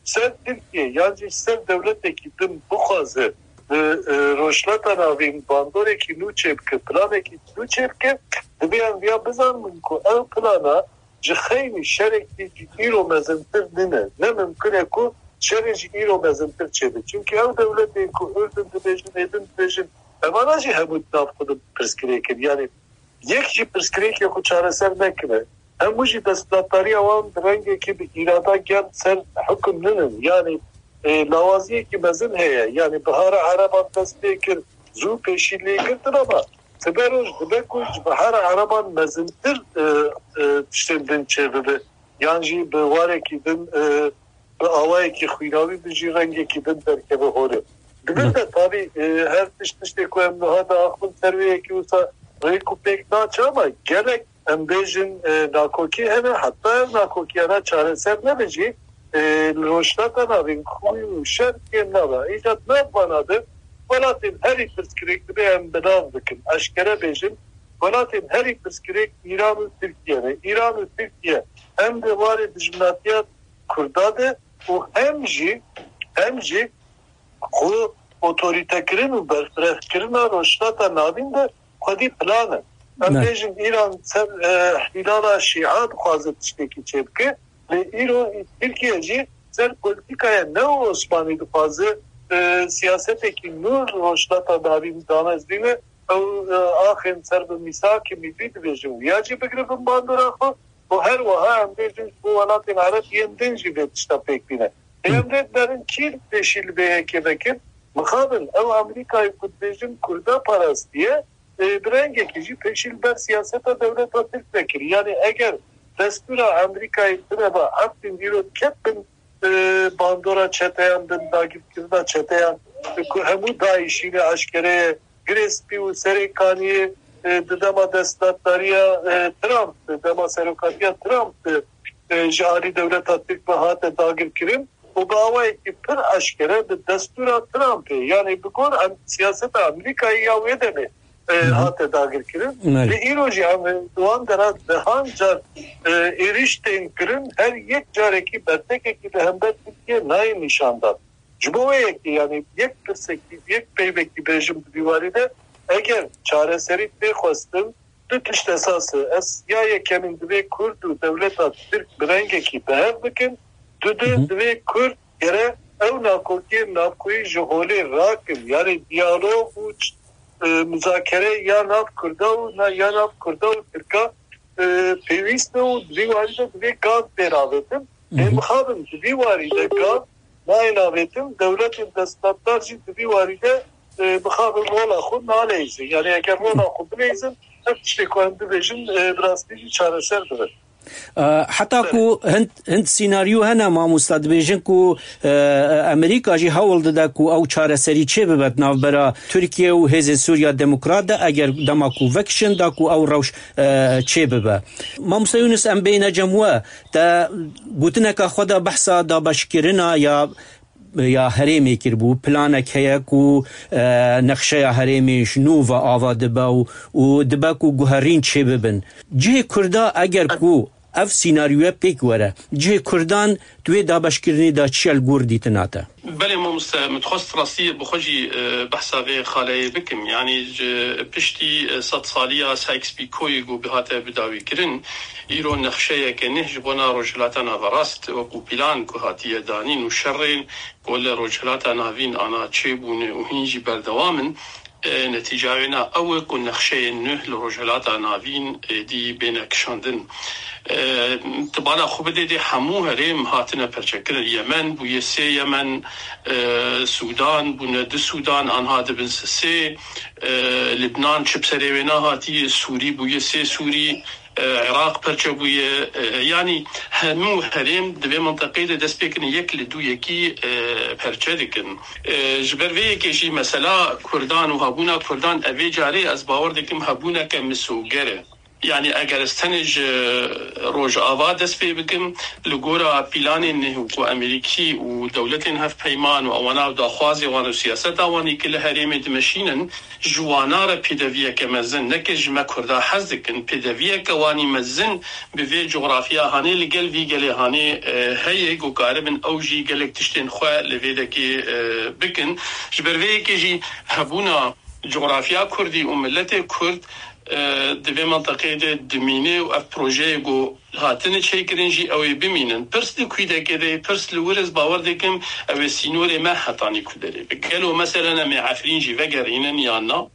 ser Tirkiye yan jî ser dewletekî din bixwaze li e, Rojhilata Navîn bandorekî nû çêbike, planekî nû çêbike, divê em viya bizanibin ku ew plana ji xeynî şerekî ji îro mezintir nîne. Ne mimkun e ku şerê ji îro mezintir çêbe. Çimkî ew dewletên ku Urdun dibêjin, êdin dibêjin, evana jî hemû di nav xwe de pirsgirêk in. Yanî yek jî pirsgirêkê xwe çareser nekiriye. Hemû jî desthilatdariya wan bi rengekî bi îrada germ ser hukum nînin. Yanî e, lawaziyekî mezin heye. Yanî bihara Ereban dest pê kir, zû pêşî lê girtin ama sibe roj dibe ku ji bihara Ereban mezintir e, e, tiştên din çêbibe. Yan jî bi warekî din e, bi awayekî xwînawî bi jî rengekî din derkeve holê. Di vir de tabî e, her tişt tiştê ku em niha diaxivin ser wê yekê wisa rêk û pêk naçe ama gelek em bêjin e, nakokî hene, heta ev nakokiyana çareser nebe jî e, li Rojhilata Navîn xwîn û şer kêm nabe. Îca di nav vana de welatên herî pirsgirêk divê em bi nav bikin. Eşkere bêjin, welatên herî pirsgirêk Îran û Tirkiye ne. Îran û Tirkiye hem di warê dijminatiya Kurda de û hem jî hem jî ku otorîtekirin û berfirehkirina Rojhilata Navîn de xwedî plan e. Em bêjin Îran ser, e, îhlala Şîa dixwaze tiştekî çêbike. Lê îro Tirkiye jî ser polîtîkaya neo-Osmanî dixwaze, e, siyasetekî nû li Rojhilata Navîn damezrîne. Ew, e, axên ser bi mîsakê mîllî dibêjin, wiya jî bigire bin bandora xwe. Û her wiha em bêjin ji bo welatên Ereb yên din jî vê tişta pêk bîne. Lê em vê derin kî pêşî li vê yekê vekin? Mixabin, ew Amerîkayê ku dibêjin Kurda parastiye, e, bi rengekî jî pêşî li ber siyaseta dewleta Tirk vekirî. Yanî eger destûra Amerîkayê tune ba, Efrîn îro ket bin, e, bandora çeteyan, bin dagirkirina çeteyan, e, ku hemû DAIŞî ne eşkere ye, Girê Spî û Serê Kaniyê, e, di dema desthilatdariya, e, Trump, di dema serokatiya Trump, e, ji alî dewleta Tirk ve hate dagirkirin û bi awayekî pir eşkere bi destûra Trumpê, yanî bi gor em, siyaseta Amerîkayê ya wê demê, e, hate dagirkirin. Belê. Lê îro jî em, e, di wan dera dehan car, e, êrîş tên kirin, her yek carekî bertekekî li hember Tirkiyê nayê nîşandan. Ji bo wê yekê, yanî yek pirsekî, yek peyvekî bêjim di vî warî de, eger çareserî tê xwestin, du tişt esas e. Ez ya yekemîn divê Kurd û dewleta Tirk bi rengekî bi hev bikin, du de divê Kurd gere ew nakokiyên navkoyî ji holê rakin, yanî diyalog û ç-, e, muzakere ya nav Kurda û na, ya nav Kurda û Tirka, e, pêwîst e û di vî warî de divê gav tê ravêtin. Lê mixabin di vî warî de gav nayên avêtin, dewletên desthilatdar jî di vî warî de, e, mixabin rola xwe naleyzin. Yanî eger rola xwe bileyzin, ev tiştê ku em dibêjin, e, bi rastî jî çareser dibe. E, heta ku hind, hind sînaryo hene, mamosta, dibêjin ku, e, Amerîka jî hewl dide ku ew çareserî çêbibe di navbera Tirkiye û Hêzên Sûriya Demokrat de, eger dema ku vekişin da ku ew rewş, e, çêbibe. Mamosta Yunus, em bêhne cem we. Te gotineka xwe de behsa dabeşkirina ya, ya herêmê kiribû. Planek heye ku, e, nexşeya herêmê ji nû ve ava dibe û, û dibe ku guherîn çêbibin. Cihê Kurda eger ku ev sînaryoya pêk were, cihê Kurdan di wê dabeşkirinê de çi ye li gor dîtina te? Belê mamoste, min dixwest rastî bi xwe jî, e, behsa vê xaleyê bikim. Yanî ji piştî, e, sedsaliya Sykes-Picoyê ku bihate bidawîkirin, îro nexşeyeke neh ji bona Rojhilata Naverast wekû plan ku hatiye danîn û şerên ku li Rojhilata Navîn ana çêbûne û hîn jî berdewam in, e, netîca wê na ew e ku nexşeyên nûh li Rojhilata Navîn êdî bêne kişandin. E, tu bala xwe bidê dê hemû herêm hatine perçekirin. Yemen bûye sê Yemen, e, Sûdan bûne du Sûdan, anha dibin sisê, e, Libnan çi bi serê wê nehatiye, Sûrî bûye sê Sûrî, e, Iraq perçe bûye, e, yanî hemû herêm di vê minteqeyê de dest pê kirin yek li dû yekî, e, perçe dikin. E, ji ber vê yekê jî mesela Kurdan û hebûna Kurdan evê carê ez bawer dikim hebûneke misoger e. Yanî eger ez tenê ji Rojava dest pê bikim, li gora pîlanên neh ku Amerîkî û dewletên hevpeyman û ewana û daxwazê wan û siyaseta wanî ki li herêmê dimeşînin, ji wana re pêdeviyeke mezin, neke ji me Kurda hez dikin, pêdeviyeke wanî mezin bi vê coxrafiya hanê li gel vî gelê hanê, e, heye ku karibin ew jî gelek tiştên xwe li vê dekê, e, bikin. Ji ber vê yekê jî hebûna coxrafiya Kurdî û miletê Kurd, e, di vê menteqeyê de dimîne û ev projeyê ku hatine çêkirin jî ew ê bimînin. Pirs di kû dekê de, pirs li wir ez bawer dikim ew ê sînorê me hetanî ku derê be. Gelo meselen em ê Efrîn jî vegerînin yan na?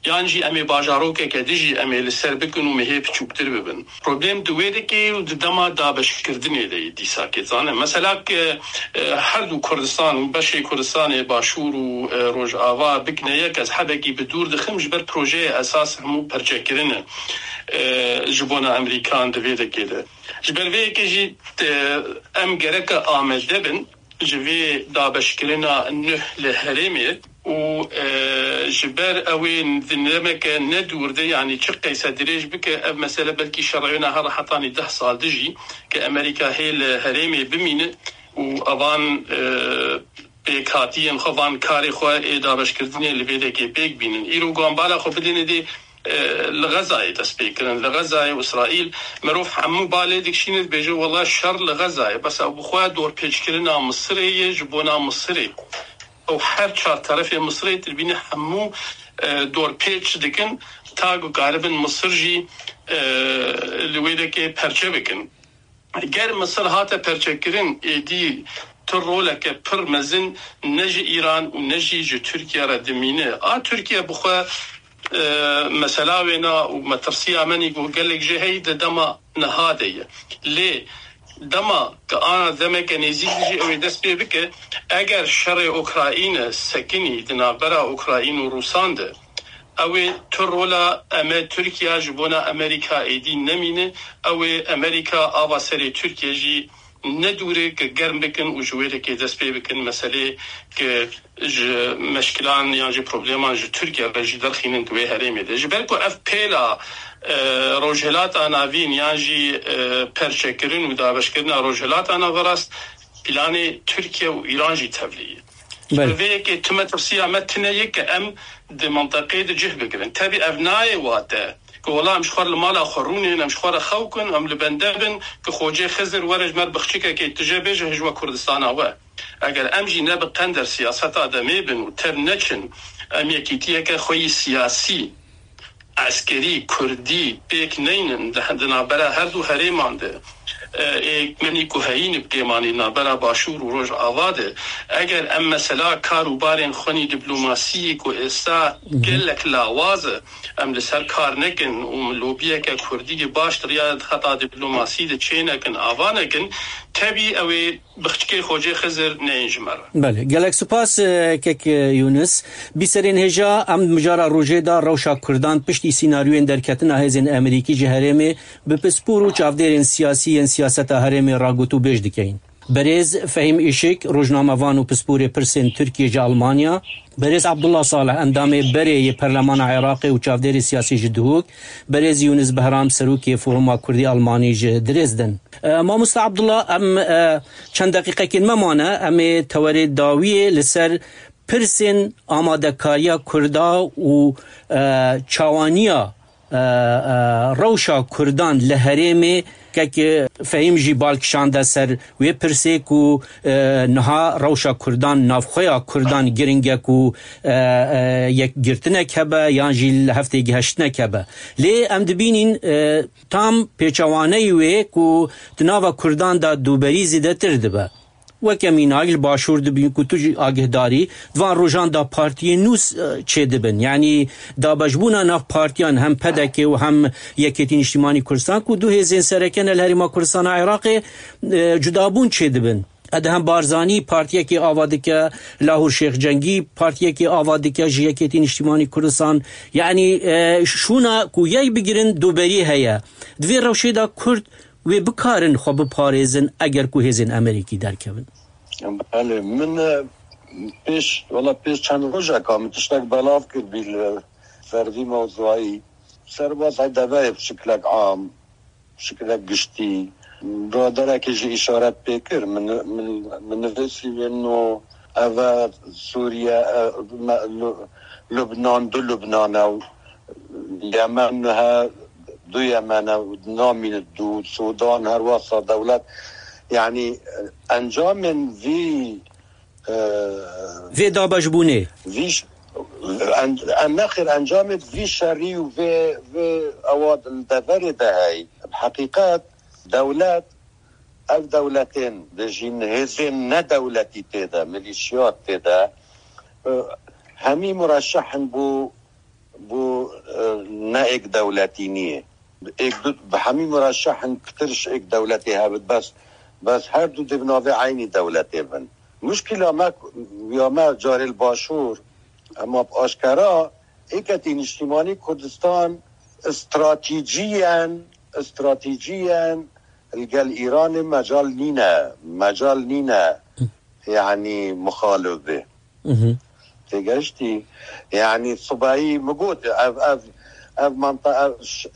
Yan jî em ê bajarokeke dijî em ê li ser bikin û mehê piçûktir bibin. Problem di wê dikê û di dema dabeşkirdinê de yê dîsa kê zane. Mesela ke, e, her du Kurdistan, beşê Kurdistanê Başûr û, e, Rojava bikine yek, ez hebekî bi dûr dixim, ji ber projeyê esas hemû perçekirin e, e, ji bona Amerîkan di vê dekê de. Ji ber vê yekê jî, e, em gereke amade bin ji vê dabeşkirina nuh li herêmê û, e, ji ber ew ê di demeke ne dûr de, yanî çi qeyse dirêj bike, ev mesele belkî şerewêna her hetanî deh sal dijî ke Amerîka hê li herêmê bimîne û evan, e, pêkhatiyên xwe, van karê xwe ê dabeşkirdinê li vê dekê pêk bînin. Îro ku em bala xwe bidêne dê, e, li Xezayê dest pê kirin. Li Xezayê û Îsraîl merov hemû balê dikişîne dibêje, wela şer li Xezayê. Bes ew bi xwe dorpêçkirina Misirê ye ji bona Misirê. Ew her çar terefê Misirê tu dibînî hemû, e, dorpêç dikin, ta ku karibin Misir jî, e, li wê dekê perçe bikin. Ger Misir hate perçekirin, êdî tu roleke pir mezin ne ji Îran û ne jî ji Tirkiye re dimîne. A Tirkiye bi xwe, e, mesela wêna û metirsiya me nî ku gelek jê heyî di dema niha de ye. Lê dema ku ana demeke nêzîk jî ew ê dest pê bike, eger şerê Ukrayne sekinî di navbera Ukrayne û Rûsan de, ew ê tu rola em e Tirkiye ji bona Amerîka êdî nemîne, ew ê Amerîka ava serê Tirkiye jî nedûre ku germ bikin û ji wê dekê dest pê bikin meselê ku ji meşkilan yan jî probleman ji Tirkiye re jî derxînin di wê herêmê de. Ji ber ku ev pêla, e, Rojhilata Navîn yan jî, e, perçekirin û dabeşkirina Rojhilata Naverast planê Tirkiye û Îran jî tevlî ye. Ji ber vê yekê tu metirsiya me tune ye ku em di minteqê de cih bigirin. Tevî ev nayê wate ku wela em ji xwe li mala xwe rûnên, em ji xwe re xew kin, em li bende bin ku Xocê Xizir were ji me re biçûkekê tije bêje, hijwe Kurdistana we. Eger em jî ne bi qender siyaseta demê bin û tev neçin, em yekîtiyeke xwe yî siyasî, eskerî, kurdî pêk neynin di, di navbera her du herêman de, e, ê menî ku heyîn bi kêmanî navbera Başûr û Rojava de, eger em mesela kar û barên xwe nî diplomasiyê ku êsta gelek lawaz e, em li ser kar nekin û lobiyeke kurdî baş di riya xeta diplomasî de çênekin, ava nekin, tevî ew ê biçûkê Xocê Xizir neyên ji me re. Belê, gelek spas, e, kek, e, Yûnis. Bîserên hêja, em mijara rojê de rewşa Kurdan piştî sînaryoyên derketina hêzên Amerîkî ji herêmê bi pispor û çavdêrên siyasî yên siyaseta herêmê ragot û bêj dikeyin. Berêz Fehîm Îşik, rojnamevan û pisporê pirsên Tirkiyê ji Almanya, Berêz Abdullah Salih, endamê berê yê Perlemana Iraqê û çavdêrê siyasî ji Duhok, Berêz Yûnis Behram, serokê Foruma Kurdî Almanî ji Dresden. E, Mamosta Abdullah, em, e, çend deqîqekên me mane, em ê tewerê dawiyê li ser pirsên amadekariya Kurda û, e, çawaniya, e, e, rewşa Kurdan li herêmê, kek Fehîm jî bal kişande ser wê pirsê ku, e, niha rewşa Kurdan, navxweya Kurdan giring e ku, e, e, yekgirtinek hebe yan jî li hev têgihiştinek hebe. Lê em dibînîn, e, tam pêçewaneyî wê ku di nava Kurdan de dûberî zêdetir dibe. Weke mînak li Başûr dibîn ku tu jî agihdarî, di van rojan de partiyên nû s-, çêdibin. Yanî dabeşbûna nav partiyan hem P D K û hem Yekêtî Niştimanî Kurdistan ku du hêzên sereke ne li Herêma Kurdistana Iraqê, e, cudabûn çêdibin. Edhem Barzanî partiyekê ava dike, Lahûr Şêx Cengî partiyekê ava dike ji Yekêtî Niştimanî Kurdistan. Yanî, e, şûna ku yek bigirin dûberî heye. Di vê rewşê de Kurd wê bikarin xwe biparêzin eger ku hêzên Amerîkî derkevin? Belê, min, e, pêş, wela pêş çend rojeka min tiştek belav kir bî li ser vî mewzuayî. Serbazay deverê bi şiklek am, bi şiklek giştî. Biraderekê jî îşaret pê kir. Min, min, min nivîsî wê no ev e Sûriye, e, me, Lu-, Lubnan, du Lubnan e û Yemen he, du Yemen e û namîne du, Sudan her wasa dewlet. Yanî, e, encamên vî, e, vê dabeşbûnê. Vî ş-, en-, en-, nexêr encamê vî şerî û vê, vê ewa li deverê de heyî. Bi heqîqet dewlet, ev dewletên de jî hêzên nedewletî tê de, milîşiyat tê de, e, hemî mureşehin bû, bû, e, ne êk dewletî niyê. Êk du, bi hemî mureşehin pitir ji êk dewletê hebit, bes, bes her du dê bi navê eynî dewletê bin. Muşkila me, ya me carê li Başûr, ema bi aşkera êketî niştimanî Kurdistan stratîciyen, stratîciyen li gel Îranê mecal nîne, mecal nîne, yanî mixalif bê. Têgeştî? Yanî sibehî min got, ev, ev, ev manta, ev ş-,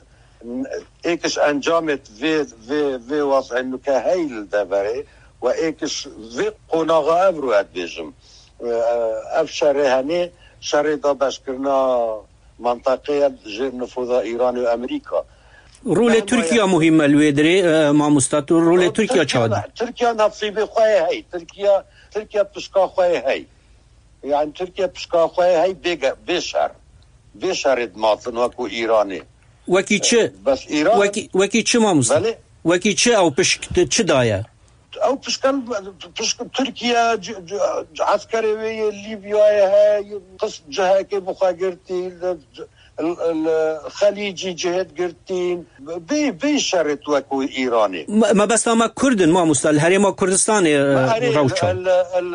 êk ji encamê vê, vê, vê wazê nuke heyî li deverê we êk ji vê qonaxa ev ro ez dibêjim. E, ev şerê henê, şerê dabeşkirina mantaqeya jêr nifuza Îranê û Amerîka. Rolê Tirkiye muhîm e li wê dirê, e, mamosta, tu rolê Tirkiye çawa dî? Tirkiye nasîbê xwe yê hey. Tirkiye, Tirkiye pişka xwe yê hey. Yani Tirkiye pişka xwe hey bêge-, bê şer. Bê şerê dimatin wekû Îranê. Wekî çi? Bes Îran Wekî, wekî çi mamoste? Belê. Wekî çi ew pişk çi daye? Ew pişkan pişk Tirkiye c-, c-, c-, eskerê wê yê Lîbyayê heye, qis cihekê bi xwe girtî, li, li, li Xelîcî cihêt girtîn. Bê, bê şerê wekû Îranê. Me, mebesta me Kurd in, mamoste, li Herêma Kurdistanê, e, Erê, rewşa. El, el,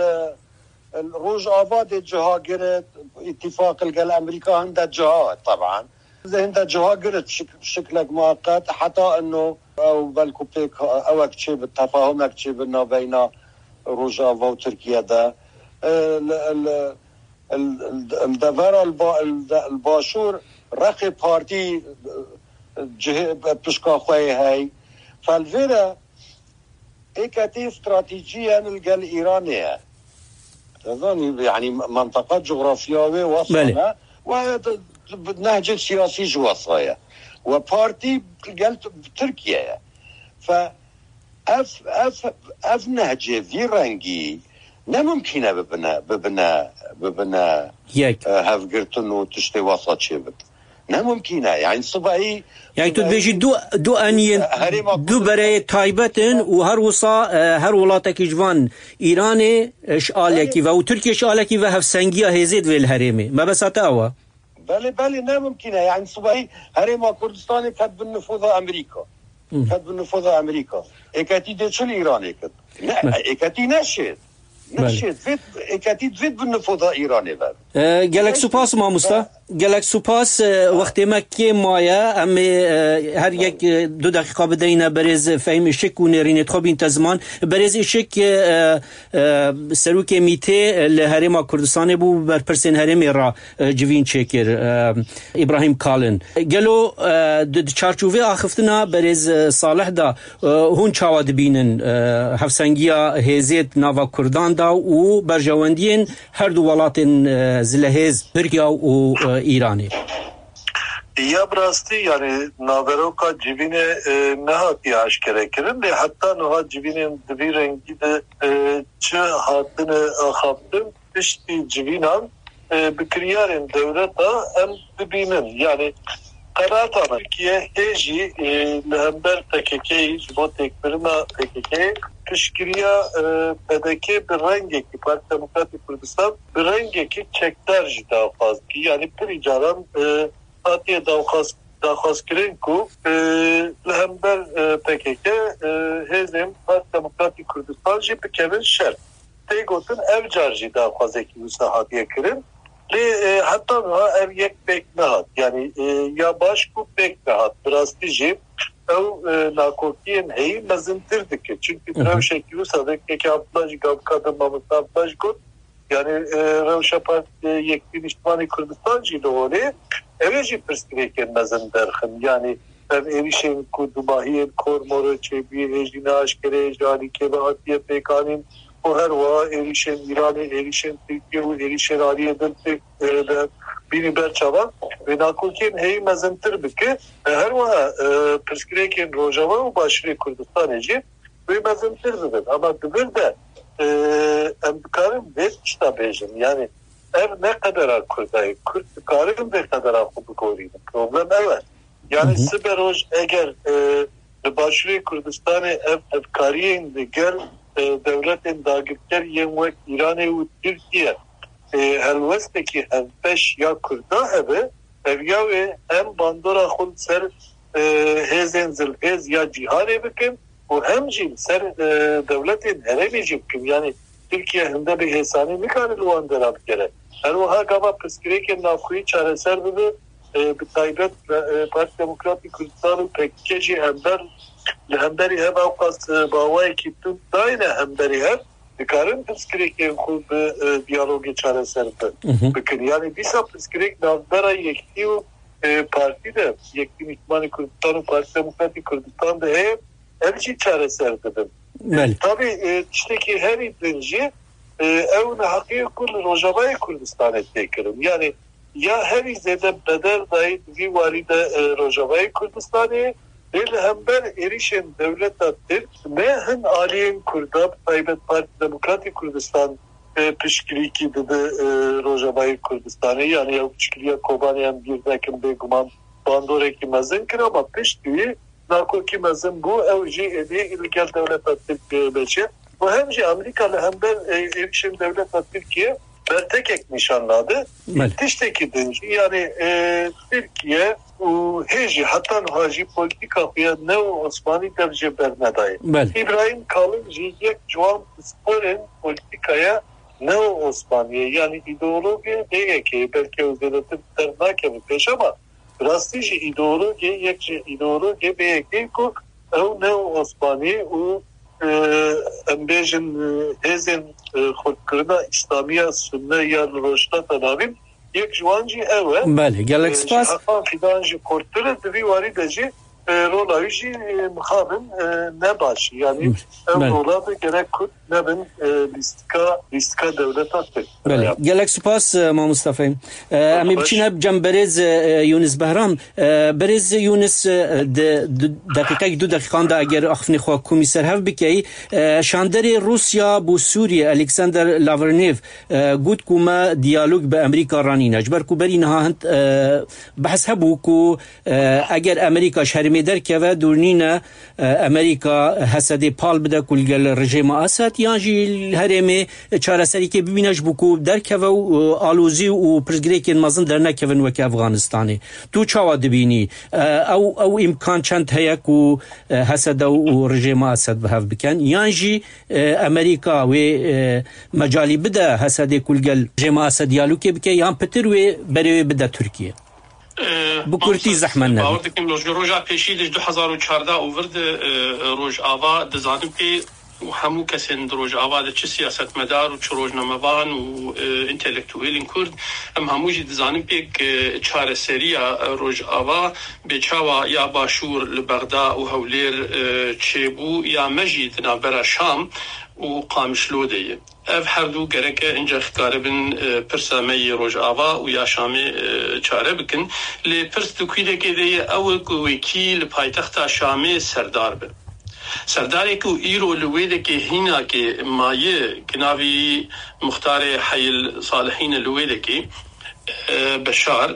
el Rojava dê ciha giret, îtîfaq li gel Amerîka hinde ciha, teban. Hinde ciha giret şik-, şiklek mueqet, heta ino ew belku pêk ewek çêbit, tefahumek çêbit navbeyna Rojava û Tirkiye de. E, li, li, li, li devera li ba-, li de-, li başûr rexê partî, e, cihê pişka xwe yê hey. Fel vê re êketî stratejî ye li gel Îranê ye. Zanî, yani, mentaqa coğrafya wê wesa Belê. ne. Ve de, de, nehcê siyasî ji wesa ye. Ve partî gel T-, Tirkiye ye. Fe ev, ev, ev nehcê vî rengî ne mimkîn e bibine, bibine, bibine, Yek. e, hevgirtin û tiştê wesa çêbit. Ne mimkîn e. Yani sibahî Yani tu dibêjî du, du eniyên, Herêma du Kurdistanê bereyê taybet in û her wisa, e, her welatekî ji van Îranê, e, ji alekî ve û Tirkiye ji alekî ve hevsengiya hêzê divê li herêmê. Mebesta te ew e? Belê, belê, ne mimkîn e. Yani sibahî Herêma Kurdistanê ket bin nifoza Amerîka. Ket bin nifoza Amerîka. Êketî dê çi li Îranê kir? Ne, Belê. êketî neşêt. Belê. Neşêt. Vê êketî divê bin nifoza Îranê ver. E, gelek Belê. supas mamosta. Gelek supas, e, wextê me kêm maye. Em ê, e, her yek, e, du deqîqa bideyne berêz Fehîm Işik û nêrînê xwe bîn te ziman. Berêz Işik, e, e, serokê mîtê li Herêma Kurdistanê bû, berpirsên herêmê re, e, civîn çêkir, e, Îbrahîm Kalin. Gelo, e, di, di çarçovê axiftina berêz, e, Salih de, e, hûn çawa dibînin, e, hevsengiya hêzê di nava Kurdan de û berjewendiyên her du welatên, e, zilehêz Tirkiye û, e, Îranê? Ya bi rastî, yani, naveroka civînê, e, nehatiye aşkere kirin, lê heta niha civînên di vî rengî de, e, çi hatine axaftin, piştî civînan, e, bi kiryarên dewleta em dibînin. Yani, qenaeta me Tirkiye hê jî, e, li hember P K K, ji bo têkbirina P K K, piştgiriya, e, P D K bi rengekî, Parti Demokratîk Kurdistan bi rengekî çekdar jî daxwaz kir. Yani pirî caran, e, hatiye daxwaz, daxwazkirin ku, e, li hember, e, P K K, e, hêzên Parti Demokratîk Kurdistan jî bikevin şer. Tê gotin ev car jî daxwazekî wisa hatiye kirin. Lê, e, heta niha ev yek pêk nehat. Yani, e, ya baş ku pêk nehat. Bi rastî jî ew, e, nakokiyên heyî mezintir dike. Çünkü Hı hı. rewşekî wisa vekekî Abdullah jî gavka de mamosta Abdullah jî got, yani, e, rewşa Part-, e, Yekîtî Nîştimanî Kurdistan jî li holê, ew ê jî pirsgirêkên mezin derxin. Yani, ev êrîşên ku dumahiyên Kor Moro çêbûyî hê jî ne aşkere ye, ji alî kê ve hatiye pêkanîn û her wiha êrîşên Îranê, êrîşên Tirkiye û êrîşên aliyê din pêk, e, de bînî ber çavan. Wê nakokiyên heyî mezintir bike. E, her wiha, e, pirsgirêkên Rojava û Başûrê Kurdistanê jî wê mezintir bibin. Ama di vir de, e, em dikarin vê tişta bêjin. Yani ev ne qedera Kurda ye. Kurd dikarin vê qedera xwe bigorînin. Problem ev e. Yani Hı hı. siberoj eger, e, li Başûrê Kurdistanê ev hevkariyên li gel, e, dewletên dagirker yên wek Îranê û Tirkiye, e, helwestekî hevbeş ya Kurda hebe, ev ya wê em bandora xwe li ser, e, hêzên zilhêz ya cîhanê bikin û hem jî li ser, e, dewletên herêmê jî bikin. Yani Tirkiye hinde bi hêsanî nikare li wan dera bigere. Her wiha gava pirsgirêkên navxweyî çareser bibe, e, bi taybet, e, Parti Demokratîk Kurdistan û P K K jî hember, li hemberî hev ewqas, e, bi awayekî tund dayne hemberî hev, dikarin pirsgirêkên xwe bi, e, diyalogê çareser bi-, Hı hı. bikin. Yani dîsa pirsgirêk navbera Yekîtî û, e, partî de, Yekîtî Nîştimanî Kurdistan û Partî Demokratîk Kurdistan de heye, ev jî çareser dibin. Belê. Tabî, e, tiştekî herî din jî, e, ew neheqiyê ku li Rojavayê Kurdistanê tê kirin. Yani ya herî zêde bedel dayî di vî warî de, e, Rojavayê Kurdistanê, lê li hember êrîşên dewleta Tirk ne hin aliyên Kurda, bi taybet Partî Demokratîk Kurdistan, e, piştgirîkî dide, e, Rojavayê Kurdistanê. Yanî ew piştgiriya Kobanê em bîr nekin, bêguman bandorekî mezin kir, ama piştî nakokî mezin bû, ew jî êdî li gel dewleta Tirkiyeyê meşe. Û hem jî Amerîka li hember, e, êrişên dewleta Tirkiye bertekek nîşan nade. Belê. Tiştekî din jî, yanî, e, Tirkiye û hê jî heta niha jî polîtîka xwe ya neo-Osmanî dev jê bernedaye. Belê. Îbrahîm Kalin jî yek ji wan pisporên polîtîkaya neo-Osmaniyê, yanî îdeologê B Y K'yê, belkî ew zêdetir dernakeve pêş, ama bi rastî jî îdeologê, yek ji îdeologê B Y K'yê ku ew neo-Osmanî û, e, em bêjin, e, hêzên, e, xurtkirina Îslamiya Sunne ya li Rojhilata Navîn, yek ji wan jî ew e. Belê, gelek E, spas. Ji heqan fidan jî xurttir e, di vî warî de jî, e, rola wî jî, e, mixabin, e, ne baş e. Yanî ev Belê. rola bi gerek Kurd nebin, e, lîstika, lîstika dewleta Tirk. Belê. Ya. Gelek spas, e, Mamosta Fehîm. E, em ê Baş. biçîne cem berêz, e, Yunus Behram. E, berêz Yunus, e, di, di deqîqek, du deqîqan de eger axifnê xwe komî ser hev bikey, e, şanderê Rûsya bo Sûriyê Alexander Lavrnev, e, got ku me diyalog bi Amerîka ranîne. Ji ber ku berî niha hind, e, behs hebû ku, e, eger Amerîka ji herêmê derkeve, dûr nîne, e, Amerîka Hesedê pal bide ku li gel rejêma Esed, yan jî li herêmê çareserîkê bibîne ji bo ku derkeve û, e, alozî û pirsgirêkên mezin dernekevin weke Efganistanê. Tu çawa dibînî? E, ew, ew îmkan çend heye ku, e, Hesede û rejêma Esed bi hev bikin? Yan jî, e, Amerîka wê, e, mecalî bide Hesedê ku li gel rejêma Esed diyalogê bike, yan pitir wê berê wê bide Tirkiye? Bi kurtî zehmet nebe. Bawer dikim, roja pêşî de ji du hezar û çardeh û vir de, e, Rojava dizanim pê û hemû kesên di Rojava de çi siyasetmedar û çi rojnamevan û, e, întelektuelên Kurd, em hemû jî dizanin pê ke çareseriya Rojava bê çawa ya Başûr li Bexda û Hewlêr, e, çêbû ya me jî di navbera Şam û Qamişlo de ye. Ev her du gereke ince xikaribin, e, pirsa me yê Rojava û ya Şamê, e, çare bikin. Lê pirs di kûdekê de ye ew e ku wekî li paytexta Şamê serdar be. Serdarê ku îro li wê dekê hînakê maye, ki navî Muxtarê Heyil Salihîn e li wê dekê, e, Beşar,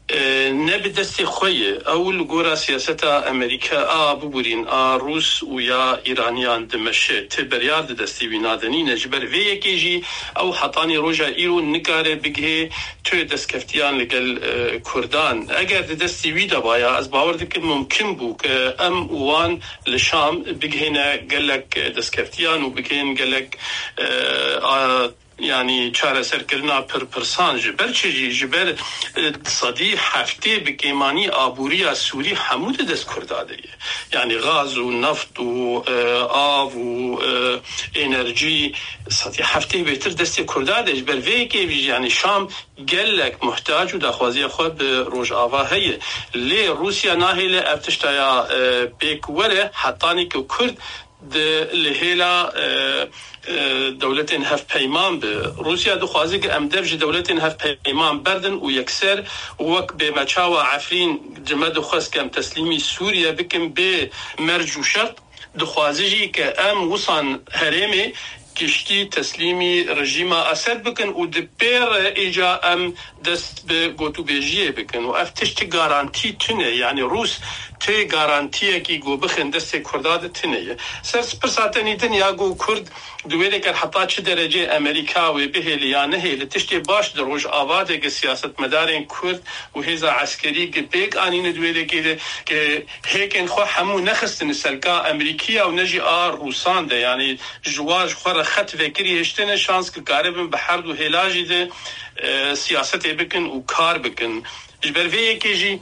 e, ne bi destê xwe ye. Ew li gora siyaseta Amerîka a biborîn, a Rûs û ya Îraniyan dimeşe. Ti beryar di destê wî nade nîne. Ji ber vê yekê jî ew hetanî roja îro nikare bigihê tu destkeftiyan li gel, e, Kurdan. Eger di destê wî de baya, ez bawer dikim mumkin bû ke em û wan li Şam bigihêne gelek, e, destkeftiyan û bigihên gelek, e, a, yanî çareserkirina pirpirsan. Ji ber çi jî? Ji ber, e, sedî heftê bi kêmanî aboriya Sûrî hemû di dest Kurda de ye. Yanî gaz û neft û, e, av û, e, enerjî sedî heftê bêtir destê Kurda de. Ji ber vê yekê jî, yanî Şam gelek muhtac û daxwaziya xwe bi Rojava heye. Lê Rûsya nahêle ev tişta ya, e, pêk were, hetanî ku Kurd di li hêla, e, e, dewletên hevpeyman bi. Rûsya dixwaze ku em dev ji dewletên hevpeyman berdin û yekser wek bê me çawa Efrîn ji me dixwest ku em teslîmî Sûriye bikin bê merc û şert, dixwaze jî ke em wisan herêmê giştî teslîmî rejîma Esed bikin û di pê re îca em dest bi gotûbêjiyê bikin û ev tişt ti garantî tune, yanî Rûs ti garantiyekî ku bixin destê Kurda de tune ye. Ser pirsa tenî din ya ku Kurd di wê de ker heta çi derecê Amerîka wê bihêle ya nehêle, tiştê baş di Rojava de ki siyasetmedarên Kurd û hêza eskerî ki pêk anîne di wê dekê de ki hêkên xwe hemû nexistine selka Amerîkiya û ne jî a Rûsan de, yanî ji wa ji xwe re xet vekirî hiştine şans ki karibin bi her du hêla jî de, e, siyasetê bikin û kar bikin. Ji ber vê yekê jî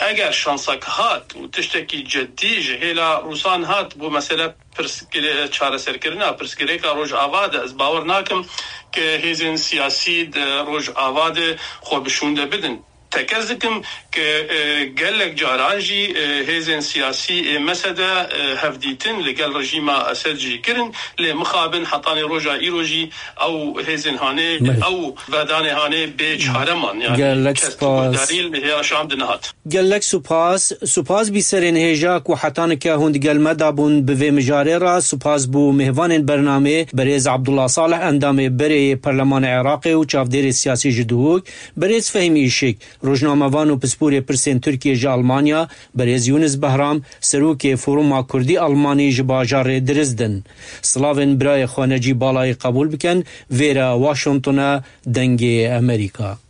eger şansek hat û tiştekî ceddî ji hêla Rûsan hat bo mesele pirsgire-, çareserkirina pirsgirêka Rojava de, ez bawer nakim ke hêzên siyasî di Rojava de xwe bi şûnde bidin. Tekez dikim ke, e, gelek caran jî, e, hêzên siyasî ê mesede, e, hevdîtin li gel rejîma Esed jî kirin, lê mixabin hetanî roja îro jî ew hêzên hanê, Meh. ew vedanê hanê bê çare man. Yani Gelek kes spas. Guhdarî li hêra Şam dinihat. Gelek supas, supas bî serên hêja ku heta nika hûn di gel me de bûn bi vê mijarê re, supas bû mêvanên bernamê, berêz Abdullah Salih, endamê berê yê Perlemanê Iraqê û çavdêrê siyasî ji Duhok, berêz Fehîm Îşik, rojnamevan û pisporê pirsên Tirkiyê ji Almanya, berêz Yunus Behram, serokê Foruma Kurdî Almanî ji bajarê Dirizdin. Silavên birayê xwe Necî Balayî qebûl bikin, vêre Washington e, Dengê Amerîka.